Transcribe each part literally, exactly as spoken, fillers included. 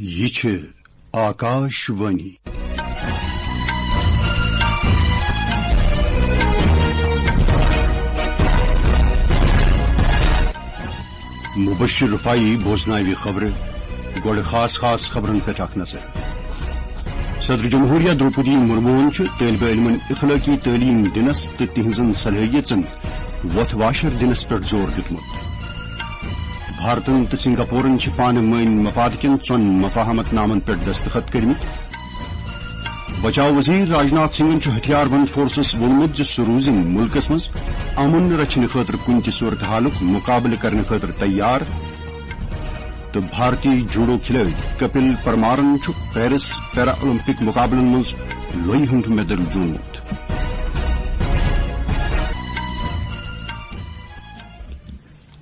یہِ چھِ آکاش وانی۔ مبشر رفاعی بوزناوِ خبرٕ۔ گۄڈٕ خاص خاص خبرن پٮ۪ٹھ اکھ نظر۔ صدر جمہوریہ درٛوپدی مرموہن چھُ طٲلبہِ علمن اخلٲقی تعلیٖم دِنس تہٕ تِہنٛزن صلٲحیژن وۄتھ واشر دِنس پٮ۪ٹھ زور دیُتمُت۔ بھارتن تہٕ سنگاپورن چھِ پانہٕ وٲنۍ مفاد کٮ۪ن ژۄن مفاہمت نامن پٮ۪ٹھ دستخط کٔرمٕتۍ۔ بچاو وزیر راجناتھ سنگھن چھُ ہتھیار بند فورسس ووٚنمُت زِ سُہ روزِ مُلکس منٛز امن رچھنہٕ خٲطرٕ کُنہِ تہِ صورتحالُک مُقابلہٕ کرنہٕ خٲطرٕ تیار۔ تہٕ بھارتی جوڈو کھلٲڑۍ کپل پرمارن چھُ پیرس پیرا اولمپک مُقابلن منٛز لویہِ ہُنٛد میڈل زیوٗنمُت۔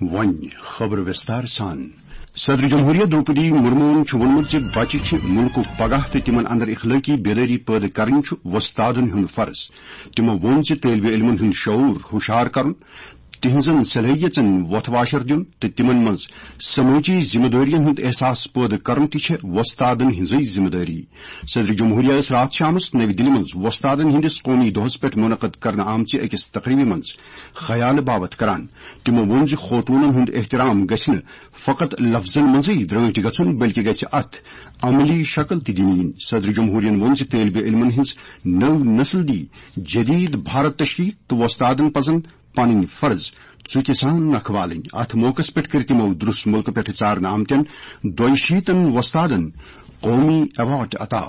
وۄنۍ خبرٕ وِستار سان۔ صدر جمہوریہ درٛوپدی مرموہن چھُ ووٚنمُت زِ بچہِ چھِ مُلکُک پگاہ تہٕ تِمن اندر اخلٲقی بیدٲری پٲدٕ کرٕنۍ چھُ وۄستادن ہُنٛد فرض۔ تِمو ووٚن زِ طٲلبہِ علمن ہُنٛد شعور ہُشار کرُن، تِہنٛزن صلٲحیژن وۄتھ واشر دیُن تہٕ تِمن منٛز سمٲجی ذمہٕ دٲرین ہُنٛد احساس پٲدٕ کرُن تہِ چھےٚ وۄستادن ہٕنٛزٕے ذمہٕ دٲری۔ صدر جمہوریہ ٲس راتھ شامس نَوِ دِلہِ منٛز وۄستادن ہٕنٛدِس قومی دۄہس پٮ۪ٹھ منعقد کرنہٕ آمژِ أکِس تقریبہِ منٛز خیالہٕ باوتھ کران۔ تِمو ووٚن زِ خوتوٗنن ہُنٛد احترام گژھِ نہٕ فقط لفظن منٛزٕے درٛٲنٹھۍ گژھُن، بلکہِ گژھِ اتھ عملی شکل تہِ دِنہٕ یِنۍ۔ صدر جمہوریہن ووٚن زِ طٲلبہِ علمن ہٕنٛز نٔو نسل دی جدید بھارت تشکیل تہٕ وۄستادن پزن پنٕنۍ فرض ژُکہِ سان نکھٕ والٕنۍ۔ اتھ موقعس پٮ۪ٹھ کٔرۍ تِمو درُس مُلکہٕ پٮ۪ٹھٕ ژارنہٕ آمتٮ۪ن دۄیہِ شیٖتن وۄستادن قومی ایوارڈ عطا۔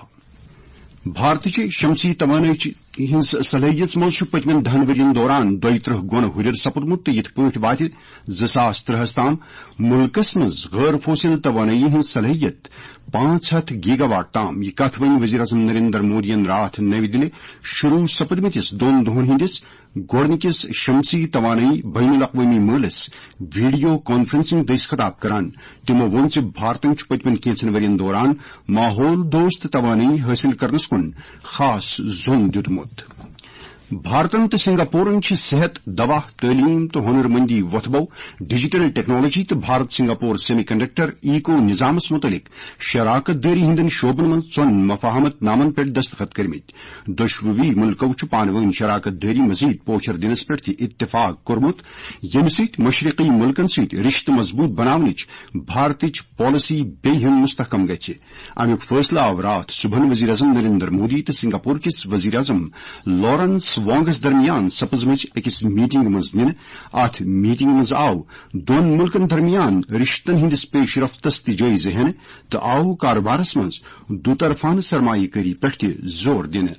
بھارتٕچہِ شمسی توانٲیی ہٕنٛز صلٲحیژ منٛز چھُ پٔتمٮ۪ن دَہن ؤرین دوران دۄیہِ ترٕٛہ گۄنہٕ ہُرٮ۪ر سپُدمُت تہٕ یِتھ پٲٹھۍ واتہِ زٕ ساس ترٕٛہس تام مُلکس منٛز غٲر فوسل توانٲیی ہٕنٛز صلٲحیت پانٛژھ ہتھ گیگا واٹ تام۔ یہِ کتھ ؤنۍ وزیر اعظم نریندر مودیَن راتھ نَوِ دِلہِ شروع سپدمٕتِس دۄن دۄہن ہٕنٛدِس گۄڈٕنِکِس شمسی توانٲیی بین الاقوٲمی مٲلس ویڈیو کانفرنسنگ دٔسۍ خطاب کران۔ تِمو ووٚن زِ بھارتن چھُ پٔتمٮ۪ن کینٛژن ؤرین دوران ماحول دوست توانٲیی حٲصِل کرنس کُن خاص زوٚن دیُتمُت۔ بھارتن تہٕ سنگاپورن چھِ صحت، دوا، تعلیٖم تہٕ ہُنر مندی وۄتھبو، ڈیجیٹل ٹیکنالوجی تہٕ Bharat Singapore semiconductor eco نظامس مُتعلق شراکت دٲری ہٕنٛدٮ۪ن شعبن منٛز ژۄن مفاہمت نامن پٮ۪ٹھ دستخط کٔرمٕتۍ۔ دۄشوٕے مُلکو چھُ پانہٕ وٲنۍ شراکت دٲری مزید پوچھر دِنس پٮ۪ٹھ تہِ اتفاق کوٚرمُت، ییٚمہِ سۭتۍ مشرقی مُلکن سۭتۍ رشتہٕ مضبوٗط بناونٕچ بھارتٕچ پالیسی بیٚیہِ ہن مستحکم گژھِ۔ امیُک فٲصلہٕ آو راتھ صبحن وزیر اعظم نریندر مودی تہٕ سنگاپور کِس وزیر اعظم لارنس وانگس درمیان سپزمٕژ أکِس میٹنگ منٛز نِنہٕ۔ اتھ میٹنگ منٛز آو دۄن مُلکن درمیان رشتن ہٕنٛدِس پیش رفتس تہِ جٲیزٕ ہٮ۪نہٕ تہٕ آو کارٕبارس منٛز دُطرفانہٕ سرمایہ کٲری پٮ۪ٹھ تہِ زور دِنہٕ۔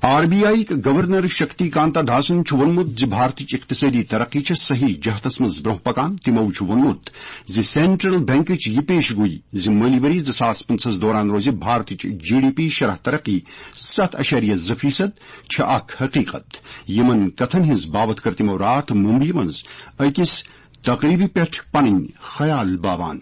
R B I governor Shaktikanta داسن چھُ ووٚنمُت زِ بھارتٕچ اقتصٲدی ترقی چھےٚ صحیح جہتس منٛز برٛونٛہہ پکان۔ تِمو چھُ ووٚنمُت زِ سینٹرل بینکٕچ یہِ پیش گویی زِ مٲلی ؤری زٕ ساس پٕنٛژٕہس دوران روزِ بھارتٕچ جی ڈی پی شرح ترقی ستھ اعشاریہ زٕ فیصد، چھےٚ اکھ حقیقت۔ یِمن کتھن ہٕنٛز باوتھ کٔر تِمو راتھ ممبئی منٛز أکِس تقریبہِ پٮ۪ٹھ پنٕنۍ خیال باوان۔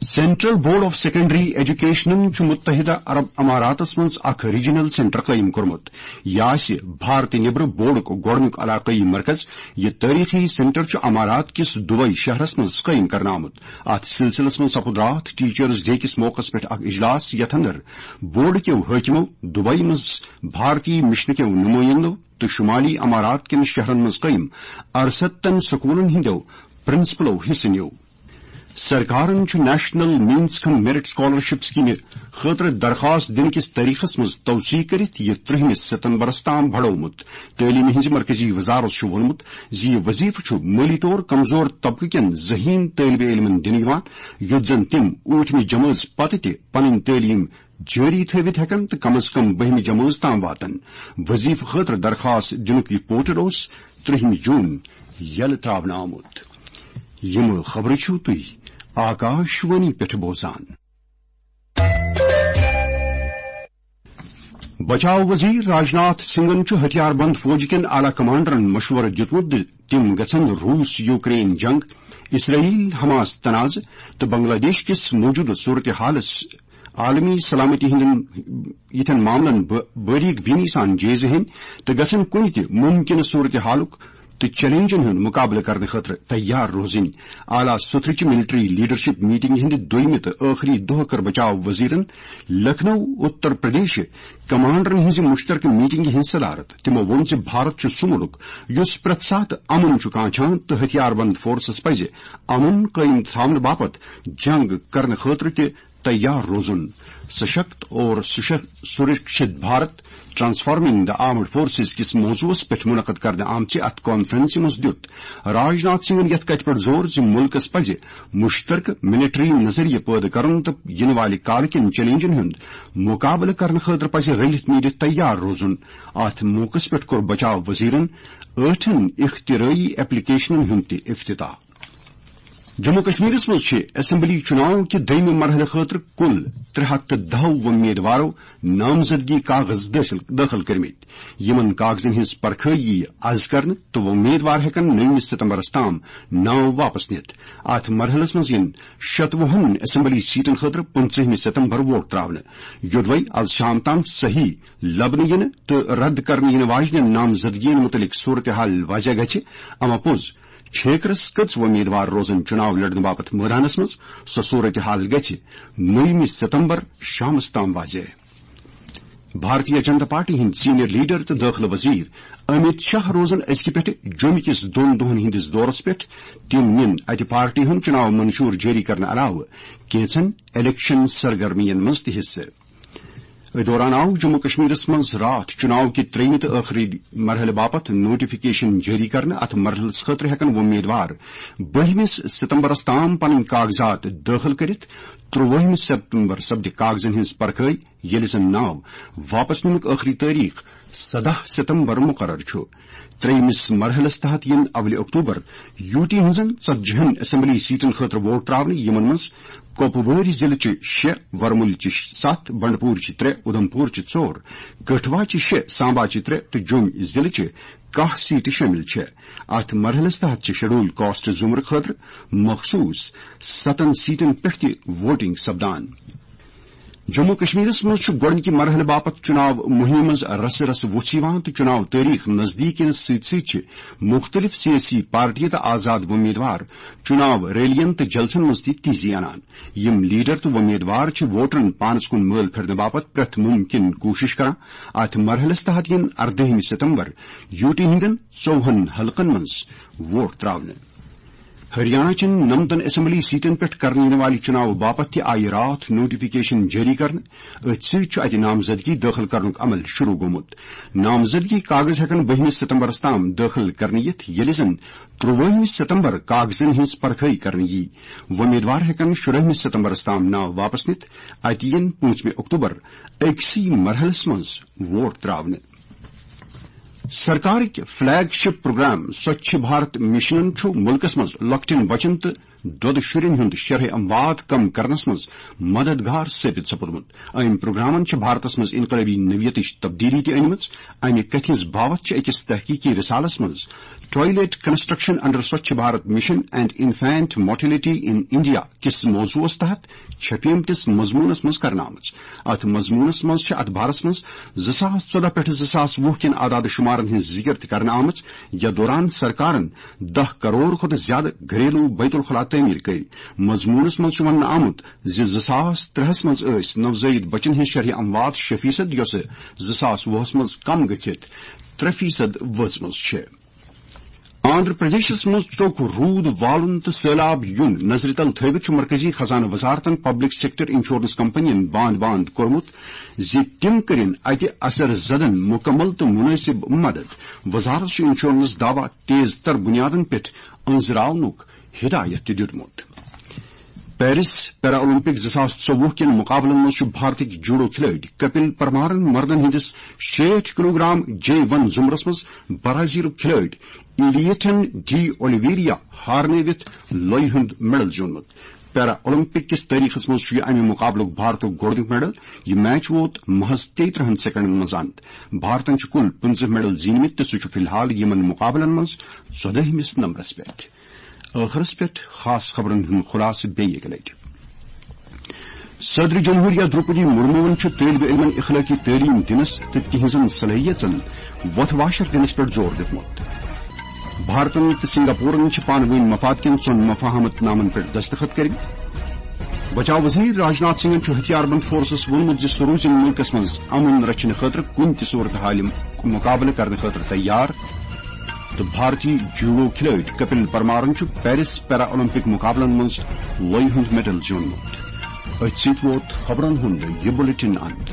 سینٹرل بورڈ آف سیکنڈری ایجوکیشنن چھُ متحدہ عرب اماراتس منٛز اکھ ریجنل سینٹر قٲیِم کوٚرمُت۔ یہِ آسہِ بھارتہٕ نیبرٕ بورڈُک گۄڈٕنیُک علاقٲیی مرکز۔ یہِ تٲریخی سینٹر چھُ امارات کِس دبئی شہرس منٛز قٲیِم کرنہٕ آمُت۔ اتھ سلسلس منٛز سپُد راتھ ٹیچرز ڈے کِس موقعس پٮ۪ٹھ اکھ اجلاس، یتھ اندر بورڈ کیو حٲکمو دبئی منٛز بھارتی مشنہٕ کیو نمٲیندو تہٕ شمالی امارات کٮ۪ن شہرن منٛز قٲیِم ارستن سکولن ہٕنٛدیو پرنسپلو حصہٕ نیوٗ۔ سرکارن چھُ نیشنل مینز کم میرٹ سکالرشپ سکیمہِ خٲطرٕ درخواست دِنہٕ کِس تٲریخس منٛز توسیع کٔرِتھ یہِ ترٛہمِس ستمبرس تام بڑومُت۔ تعلیمہِ ہٕنٛزِ مرکزی وزارت چھُ ووٚنمُت زِ یہِ وظیفہٕ چھُ مٲلی طور کمزور طبقہٕ کٮ۪ن ذہین طٲلبہِ علمن دِنہٕ یِوان، یُتھ زن تِم ٲٹھمہِ جمٲژ پتہٕ تہِ پنٕنۍ تعلیٖم جٲری تھٲوِتھ ہٮ۪کن تہٕ کم از کم بٔہمہِ جمٲژ تام واتن۔ وظیفہٕ خٲطرٕ درخواست دِنُک یہِ پورٹل اوس ترٛہمہِ جوٗن یلہٕ ترٛاونہٕ آمُت۔ یِم خبرٕ چھِو تُہۍ آکاش وانی پٮ۪ٹھ بوزان۔ بچاو وزیر راجناتھ سنگھن چھُ ہتھیار بند فوج کٮ۪ن اعلیٰ کمانڈرن مشورٕ دیُتمُت زِ تِم گژھن روس یوکرین جنگ، اسرائیل حماس تنازٕ تہٕ بنگلہ دیش کِس موجودٕ صورتحالس عالمی سلامتی ہٕنٛدٮ۪ن یِتھٮ۪ن معاملن بٲ-، باریک بینی سان جٲیزٕ ہیٚنۍ تہٕ گژھن کُنہِ تہِ مُمکِنہٕ صورتحالُک تہٕ چیلنجن ہُنٛد مقابلہٕ کرنہٕ خٲطرٕ تیار روزٕنۍ۔ اعلیٰ سطحٕچ ملٹری لیڈرشپ میٹنگ ہٕنٛدِ دوٚیمہِ تہٕ ٲخری دۄہ کٔر بچاو وزیرن لکھنؤ، اتر پردیش کمانڈرن ہٕنٛزِ مشترکہٕ میٹنگہِ ہٕنٛز صدارت۔ تِمو ووٚن زِ بھارت چھُ سُہ مُلک یُس پرٛٮ۪تھ ساتہٕ امن چھُ کانچھان تہٕ ہتھیار بند فورسز پزِ امن قٲیِم تھاونہٕ باپتھ جنگ کرنہٕ خٲطرٕ تہِ تیار روزُن۔ سشکت اور سشک-، سرکشت Bharat, transforming the armed forces کِس موضوعس پٮ۪ٹھ منعقد کرنہٕ آمژِ اتھ کانفرنسہِ منٛز دیُت راجناتھ سنگھن یتھ کتھِ پٮ۪ٹھ زور زِ مُلکس پزِ مشترکہٕ ملٹری نظریہ پٲدٕ کرُن تہٕ یِنہٕ والہِ کالہٕ کٮ۪ن چیلنجن ہُنٛد مقابلہٕ کرنہٕ خٲطرٕ پزِ رٔلِتھ میٖلِتھ تیار روزُن۔ اتھ موقعس پٮ۪ٹھ کوٚر بچاو وزیرن ٲٹھن اختراعی ایپلیکیشنن ہُنٛد تہِ افتتاح۔ جموں کشمیرس منٛز چھِ اسمبلی چُناو کہِ دوٚیمہِ مرحلہٕ خٲطرٕ کُل ترٛےٚ ہتھ تہٕ دَہ وۄمیدوارو نامزدگی کاغذ دٲخل، دٲخل کٔرمٕتۍ۔ یِمن کاغذن ہٕنٛز پرکھٲیی یِیہِ از کرنہٕ تہٕ وۄمیدوار ہٮ۪کن نٔومہِ ستمبرس تام ناو واپس نِتھ۔ اتھ مرحلس منٛز یِن شتوُہن اسمبلی سیٹن خٲطرٕ پٕنٛژٕہمہِ ستمبر ووٹ تراونہٕ۔ یوٚدوے از شام تام صحیح لبنہٕ یِنہٕ تہٕ رد کرنہٕ یِنہٕ واجنٮ۪ن نامزدگین مُتعلق صورتحال واضح گژھِ، اما پوٚز چھیکرس کٔژ وۄمیدوار روزن چُناو لڑنہٕ باپتھ مٲدانس منٛز، سۄ صورتحال گژھِ نوٚیمہِ ستمبر شامس تام واضح۔ بھارتیہ جنتا پارٹی ہٕنٛدۍ سینئر لیڈر تہٕ دٲخلہٕ وزیر امیت شاہ روزن أزکہِ پٮ۪ٹھٕ جوٚمہِ کِس دۄن دۄہن ہٕنٛدِس دورس پٮ۪ٹھ۔ تِم نِن اتہِ پارٹی ہُنٛد چُناو منشور جٲری کرنہٕ علاوٕ کینٛژن الیکشن سرگرمین منٛز تہِ حصہٕ۔ أتھۍ دوران آو جموں کشمیرس منٛز راتھ چُناو کہِ ترٛیٚیمہِ تہٕ ٲخری مرحلہٕ باپتھ نوٹیفکیشن جٲری کرنہٕ۔ اتھ مرحلس خٲطرٕ ہٮ۪کن وۄمیدوار بٔہمِس ستمبرس تام پنٕنۍ کاغذات دٲخل کٔرِتھ۔ ترٛوٲہمہِ ستمبر سپدِ کاغذن ہٕنٛز پرکھٲے، ییٚلہِ زن ناو واپس نِنُک ٲخری تٲریخ سداہ ستمبر مقرر چھُ۔ ترٛیٚیمِس مرحلس تحت یِن اولہِ اکتوبر یوٗ ٹی ہٕنٛزن ژتجی ہن اسمبلی سیٹن خٲطرٕ ووٹ تراونہٕ، یِمن منٛز کۄپوٲرۍ ضلعہٕ چہِ شےٚ، ورمُلہِ چہِ ستھ، بنڈپور چہِ ترٛےٚ، اُدھمپور چہِ ژور، کٹھوا چہِ شےٚ، سامبا چہِ ترٛےٚ تہٕ جوٚم ضلعہٕ چہِ کاہ سیٹہٕ شٲمِل چھےٚ۔ اتھ مرحلس تحت چھِ شیڈول کاسٹ زمرٕ خٲطرٕ مخصوص ستن سیٹن پٮ۪ٹھ تہِ ووٹنگ سپدان۔ جموں کشمیرس منٛز چھُ گۄڈٕنِکہِ مرحلہٕ باپتھ چُناو مُہِمہِ منٛز رسہٕ رسہٕ وُژھ یِوان تہٕ چُناو تٲریخ نزدیٖک یِنس سۭتۍ سۭتۍ چھِ مُختٔلِف سیٲسی پارٹیہِ تہٕ آزاد وۄمیدوار چُناو ریلین تہٕ جلسن منٛز تہِ تیزی انان۔ یِم لیڈر تہٕ وۄمیدوار چھِ ووٹرن پانس کُن مٲل پھِرنہٕ باپتھ پرٛٮ۪تھ مُمکِن کوٗشش کران۔ اتھ مرحلس تحت یِن اردٲہمہِ ستمبر یوٗ ٹی ہٕنٛدٮ۪ن ژوٚوُہن حلقن منٛز ووٹ تراونہٕ۔ ہریانہ چٮ۪ن نَمتَن اسمبلی سیٹن پٮ۪ٹھ کرنہٕ یِنہٕ والہِ چُناوٕ باپتھ تہِ آیہِ راتھ نوٹیفکیشن جٲری کرنہٕ۔ أتھۍ سۭتۍ چھُ اتہِ نامزدگی دٲخل کرنُک عمل شروع گوٚمُت۔ نامزدگی کاغذ ہٮ۪کن بٔہمِس ستمبرس تام دٲخل کرنہٕ یِتھ، ییٚلہِ زن ترٛوٲہمہِ ستمبر کاغذن ہٕنٛز پرکھٲیی کرنہٕ یی۔ وۄمیدوار ہٮ۪کن شُرٲہمہِ ستمبرس تام ناو واپس نِتھ۔ اتہِ یِن پوٗنٛژمہِ اکتوبر أکسٕے مرحلس منٛز ووٹ تراونہٕ۔ سرکارٕکۍ فلیگ شپ پروگرام سوچھ بھارت مشنن چھُ مُلکس منٛز لۄکٹٮ۪ن بچن تہٕ دۄدٕ شُرٮ۪ن ہُنٛد شرح اموات کم کرنس منٛز مددگار ثٲبت سپُدمُت۔ أمۍ پروگرامن چھِ بھارتس منٛز انقلٲبی نوعیتٕچ تبدیلی تہِ أنمٕژ۔ امہِ کتھِ ہٕنٛز باوتھ چھِ أکِس تحقیقی رسالس منٛز Toilet Construction under Swachh Bharat Mission and Infant Mortality in India کِس موضوعس تحت چھپیمتِس مضموٗنس منٛز کرنہٕ آمٕژ۔ اتھ مضموٗنس منٛز چھِ اتھ بارس منٛز زٕ ساس ژۄدہ پٮ۪ٹھ زٕ ساس وُہ کٮ۪ن اعداد شمارن ہٕنٛز ذکر تہِ کرنہٕ آمٕژ، یتھ دوران سرکارن دَہ کرور کھۄتہٕ زیادٕ گھریلو بیت الخلا تعمیٖر کٔرۍ۔ مضموٗنس منٛز چھُ وننہٕ آمُت زِ زٕ ساس ترٛےٚ ہَس منٛز ٲسۍ نوزٲیِد بچن ہٕنٛز شرح اموات شےٚ فیصد، یۄسہٕ زٕ ساس وُہس منٛز کم گٔژھِتھ ترٛےٚ فیصد وٲژمٕژ چھےٚ۔ آندھرا پردیشس منٛز ژوٚک روٗد والُن تہٕ سٔہلاب یُن نظرِ تل تھٲوِتھ چھُ مرکزی خزانہٕ وزارتن پبلک سیکٹر انشورنس کمپنین باند باند کوٚرمُت زِ تِم کٔرِن اتہِ اثر زدن مُکمل تہٕ مُنٲسِب مدد۔ وزارت چھُ انشورنس دعویٰ تیز تر بُنیادن پٮ۪ٹھ أنٛزراونُک ہدایت تہِ دیُتمُت۔ پیرس پیرا اولمپک زٕ ساس ژوٚوُہ کٮ۪ن مقابلن منٛز چھُ بھارتٕکۍ جوڈو کھلٲڑۍ کپل پرمارن مردن ہٕنٛدِس شیٹھ کلوگرام جے ون زمرس منٛز برازیلُک کھلٲڑۍ ایلیٹن ڈی اولیویریا ہارنٲوِتھ لۄیہِ ہُنٛد میڈل زیوٗنمُت۔ پیرا اولمپک کِس تٲریخس منٛز چھُ یہِ امہِ مقابلُک بھارتُک گۄڈٕنیُک میڈل۔ یہِ میچ ووت محض تیٚیہِ ترٕٛہن سیکنڈن منٛز اند۔ بھارتن چھِ کُل پٕنٛژٕہ میڈل زیٖنمٕتۍ تہٕ سُہ چھُ فی الحال یِمن مقابلن منٛز ژۄدٲہمِس نمبرس پٮ۪ٹھ۔ ٲخرس پٮ۪ٹھ خاص خبرن ہُنٛد خلاصہٕ بیٚیہِ اَکہِ لٹہِ۔ صدر جمہوریہ دروپدی مرموَن چھُ طٲلب علمَن اخلٲقی تعلیٖم دِنَس تہٕ تِہنٛزن صلٲحیژن وۄتھ واشر دِنَس پٮ۪ٹھ زور دیُتمُت۔ بھارتن تہٕ سنگاپورن چھِ پانہٕ وٲنۍ مفاد کٮ۪ن ژۄن مفاہمت نامن پٮ۪ٹھ دستخط کٔرمٕتۍ۔ بچاو وزیر راجناتھ سنگھن چھُ ہتھیار بند فورسس ووٚنمُت زِ سُہ روزِ مُلکس منٛز امن رچھنہٕ خٲطرٕ کُنہِ تہِ صورتحالہِ مُقابلہٕ کرنہٕ خٲطرٕ تیار۔ تہٕ بھارتی جوڈو کھلٲڑۍ کپل پرمارن چھُ پیرس پیرا اولمپک مُقابلن منٛز لۄیہِ ہُنٛد میڈل زیوٗنمُت۔ أتھۍ سۭتۍ ووت خبرن ہُنٛد یہِ بُلٹن اند۔